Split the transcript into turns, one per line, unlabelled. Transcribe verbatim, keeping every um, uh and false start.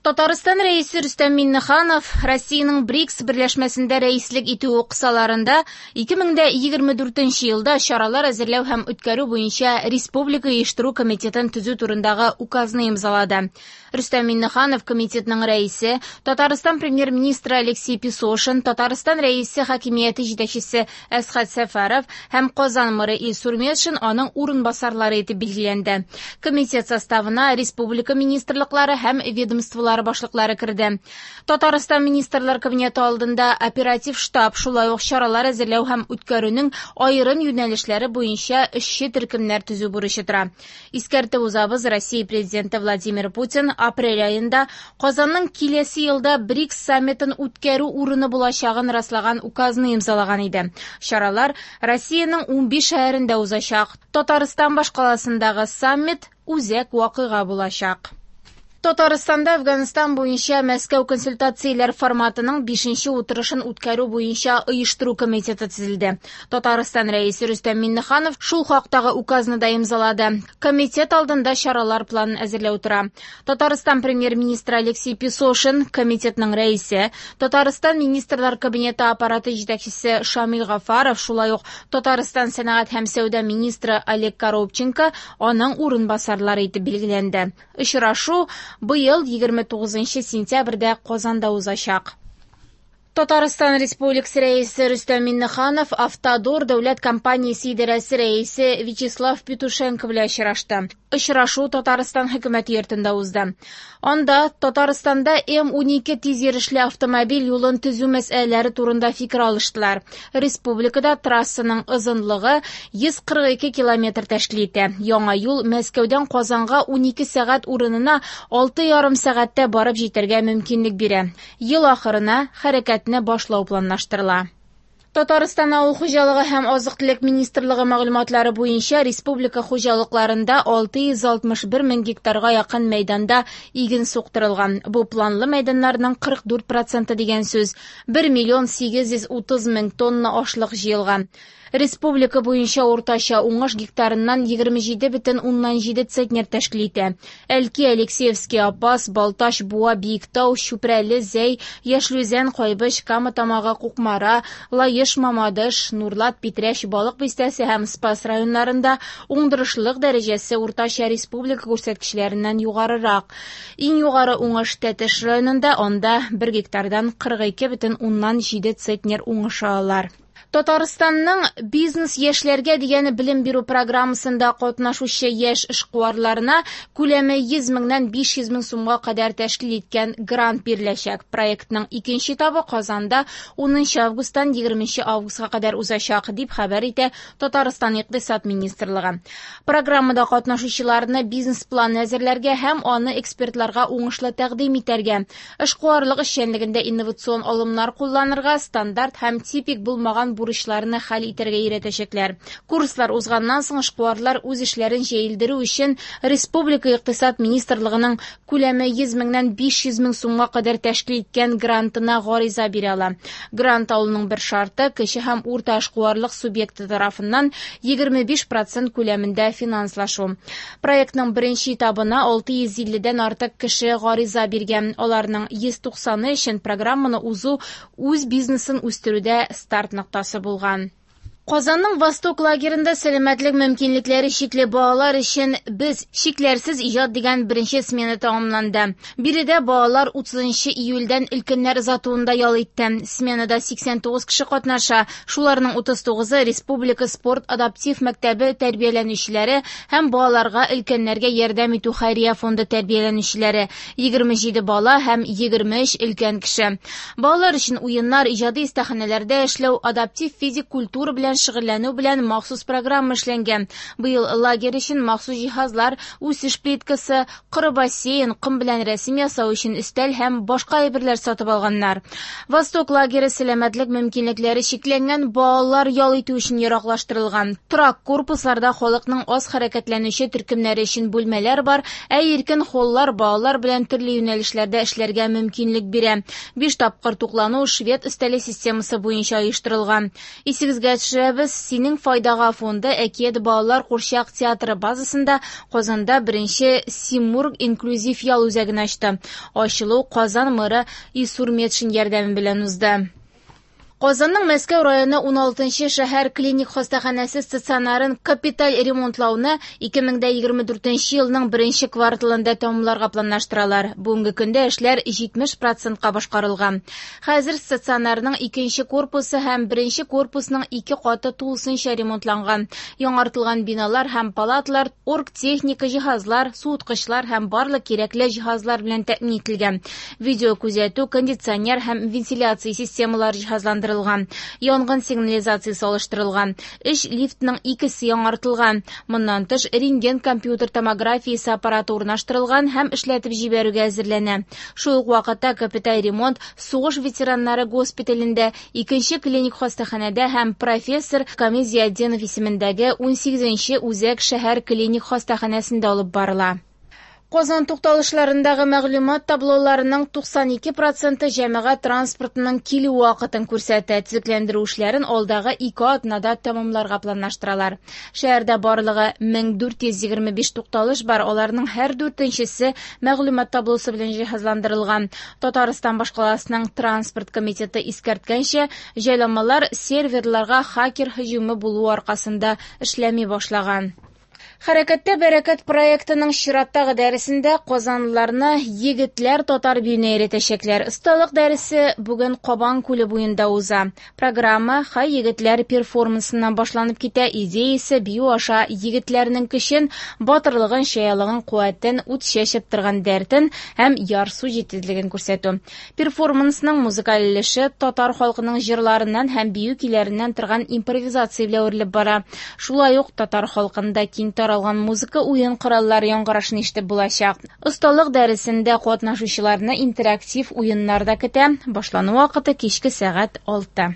Татарстан Рәисе Рөстәм Миңнеханов Россиянең БРИКС берләшмәсендә рәислек итүе кысаларында ике мең дә егерме дүртенче елда чаралар әзерләү һәм үткәрү буенча Республика оештыру комитетын төзү турындагы указны имзалады. Рөстәм Миңнеханов комитетның рәисе, Татарстан премьер-министры Алексей Песошин, Татарстан Рәисе хакимияте җитәкчесе Әсхәт Сәфәров һәм Казан мэры Илсур Метшин аның урынбасарлары итеп билгеләнде. Комитет составына республика министрлыклары һәм ведомстволары башлыклары керде. Татарстан Министрлар Кабинеты алдында оператив штаб, шулай ук чаралар әзерләү һәм үткәрүнең аерым юнәлешләре буенча эшче төркемнәр төзү бурычы тора. Искәртеп узабыз, Россия президенты Владимир Путин апрель аенда Казанның киләсе елда БРИКС саммитын үткәрү урыны булачагын раслаган указны имзалаган иде. Чаралар Россиянең унбиш шәһәрендә узачак. Татарстан башкаласындагы саммит үзәк вакыйга булачак. Татарстанда Афганстан буенча Мәскәү консультацияләр форматының бишенче утырышын үткәрү буенча оештыру комитеты төзелде. Татарстан Рәисе Рөстәм Миңнеханов шул хактагы указны да имзалады. Комитет алдында чаралар планын әзерләү тора. Татарстан премьер-министры Алексей Песошин комитетның рәисе, Татарстан Министрлар Кабинеты аппараты җитәкчесе Шамил Гафаров, шулай ук Татарстан сәнәгать һәм сәүдә министры Олег Коробченко аның урынбасарлары итеп билгеләнде. Очрашу быел егерме тугызынчы сентябрьдә Казанда узачак. Татарстан Республикасы Рәисе Рөстәм Миңнеханов Автодор дәүләт компаниясе идарәсе рәисе Вячеслав Петушенко белән очрашты. Очрашу Татарстан хөкүмәте йортында узды. Анда Татарстанда М унике тиз йөрешле автомобиль юлын төзү мәсьәләләре турында фикер алыштылар. Республикада трассаның озынлыгы йөз кырык ике километр тәшкил итә. Яңа юл Мәскәүдән Казанга унике сәгать урынына алты ярым сәгатьтә барып җитәргә мөмкинлек бирә. Ел ахырына хәрәкәтне башлау планлаштырыла. Татарстан Авыл хуҗалыгы һәм азык-төлек министрлыгы мәгълүматлары буенча республика хуҗалыкларында алты йөз алтмыш бер мең гектарга якын мәйданда иген суктырылган. Бу планлы мәйданнарның кырык дүрт проценты дигән сүз. Бер миллион сигез йөз утыз мең тонна ашлык җыелган. Республика буенча уртача уңыш гектарыннан егерме җиде бөтен уннан җиде центнер тәшкил итә. Әлки, Алексеевский, Апас, Балтач, Буа, Биектау, Чүпрәле, Зәй, Яшел Үзән, Кайбыч, Кама Тамагы, Кукмара, Лаеш, Мамадыш, Нурлат, Питрәч, Балык Бистәсе һәм Спас районнарында уңдырышлылык дәрәҗәсе уртача республика күрсәткечләреннән югарырак. Иң югары уңыш Тәтеш районында, анда бер гектардан кырык ике бөтен уннан җиде центнер уңыш алалар. Татарстанның бизнес яшьләргә дигән белем бирү программасында катнашучы яшь эшкуарларына күләме йөз меңнән биш йөз мең сумга кадәр тәшкил иткән грант биреләчәк. Проектның икенче этабы Казанда унынчы августтан егерменче августка кадәр узачак, дип хәбәр итә Татарстан Икътисад министрлыгы. Программада катнашучыларны бизнес-план әзерләргә һәм аны экспертларга уңышлы тәкъдим итәргә, эшкуарлык эшчәнлегендә инновацион алымнар кулланырга, стандарт һәм типик булмаган бурычларны хәл итәргә өйрәтәчәкләр. Курслар узганнан соң эшкуарлар үз эшләрен җәелдерү өчен Республика Икътисад министрлыгының күләме йөз меңнән биш йөз мең сумга кадәр тәшкил иткән грантына гариза бирә ала. Грант алуның бер шарты кече һәм урта эшкуарлык субъекты тарафыннан егерме биш процент күләмендә финанслашу. Проектның беренче этабына алты йөз илледән артык кеше гариза биргән. Аларның йөз туксаны өчен программаны узу үз бизнесын үстерүдә старт ноктасы булган. Казанның Восток лагерында сәламәтлек мөмкинлекләре чикле балалар өчен Без чикләрсез иҗат дигән беренче смена тәмамланды. Биредә балалар утызынчы июльдән өлкәннәр озатуында ял итте. Сменада сиксән тугыз кеше катнаша. Шуларның утыз тугызы Республика спорт адаптив мәктәбе тәрбияләнүчеләре һәм балаларга өлкәннәргә ярдәм итү хәйрия фонды тәрбияләнүчеләре. Егерме җиде бала һәм егерме өч өлкән кеше. Балалар өчен уеннар, иҗади остаханәләрдә эшләү, адаптив физик культура белән шөгыльләнү белән махсус программа эшләнгән. Быел лагерь өчен махсус җиһазлар, үсеш плиткасы, коры бассейн, ком белән рәсем ясау өчен өстәл һәм башка әйберләр сатып алганнар. Восток лагере сәламәтлек мөмкинлекләре чикләнгән балалар ял итү өчен яраклаштырылган. Торак корпусларда халыкның аз хәрәкәтләнүче төркемнәре өчен бүлмәләр бар, ә иркен холлар балалар белән төрле юнәлешләрдә эшләргә мөмкинлек бирә. Биш тапкыр туклану швед өстәле системасы буенча оештырылган. Исегезгә төшерәбез, төшерәбез, Синең файдага фонды Әкият балалар курчак театры базасында Казанда беренче Симург инклюзив ял үзәген ачты. Ачылу Казан мэры Илсур Метшин ярдәме белән узды. Казанның Мәскәү районы уналтынчы шәһәр клиник хастаханәсе стационарын капиталь ремонтлауны ике мең дә егерме дүртенче елның беренче кварталында тәмамларга планлаштыралар. Бүгенге көндә эшләр җитмеш процентка башкарылган. Хәзер стационарның икенче корпусы һәм беренче корпусның ике каты тулысынча ремонтланган. Яңартылган биналар һәм палаталар оргтехника җиһазлар, суыткычлар һәм барлык кирәкле җиһазлар белән тәэмин ителгән. Видео күзәтү, кондиционер һәм вентиляция системалары җиһазландырылган. Янгын сигнализациясе алыштырылган. Өч лифтның икесе яңартылган. Моннан тыш рентген компьютер томографиясе аппараты урнаштырылган һәм эшләтеп җибәрүгә әзерләнә. Шул ук вакытта капиталь ремонт сугыш ветераннары госпиталендә, икенче клиник хастаханәдә һәм профессор Камил Зиятдинов исемендәге унсигезенче үзәк шәһәр клиник хастаханәсендә алып барыла. Казан тукталышларындагы мәгълүмат таблоларының туксан ике проценты җәмәгать транспортының килү вакытын күрсәтә. Төзекләндерү эшләрен алдагы ике атнада тәмамларга планлаштыралар. Шәһәрдә барлыгы мең дүрт йөз егерме биш тукталыш бар, аларның һәр дүртенчесе мәгълүмат таблосы белән җиһазландырылган. Татарстан башкаласының транспорт комитеты искәрткәнчә, җайланмалар серверларга хакер һөҗүме булуы аркасында эшләми башлаган. Хәрәкәттә бәрәкәт проектының чираттагы дәресендә казанлыларны егетләр татар биюенә өйрәтәчәкләр. Осталык дәресе бүген Кабан күле буенда уза. Программа Хай егетләр перформансыннан башланып китә. Идеясе бию аша егетләрнең көчен, батырлыгын, чаялыгын, куәтен, ут чәчеп торган дәртен һәм ярсу җитезлеген күрсәтү. Перформансның музыкаль өлеше татар халкының җырларыннан һәм бию көйләреннән торган импровизация белән үрелеп бара. Шулай ук татар халкында киң таралган музыка уен кораллары яңгырашын ишетеп булачак. Осталык дәресендә катнашучыларны интерактив уеннар да көтә. Башлану вакыты кичке сәгать алты.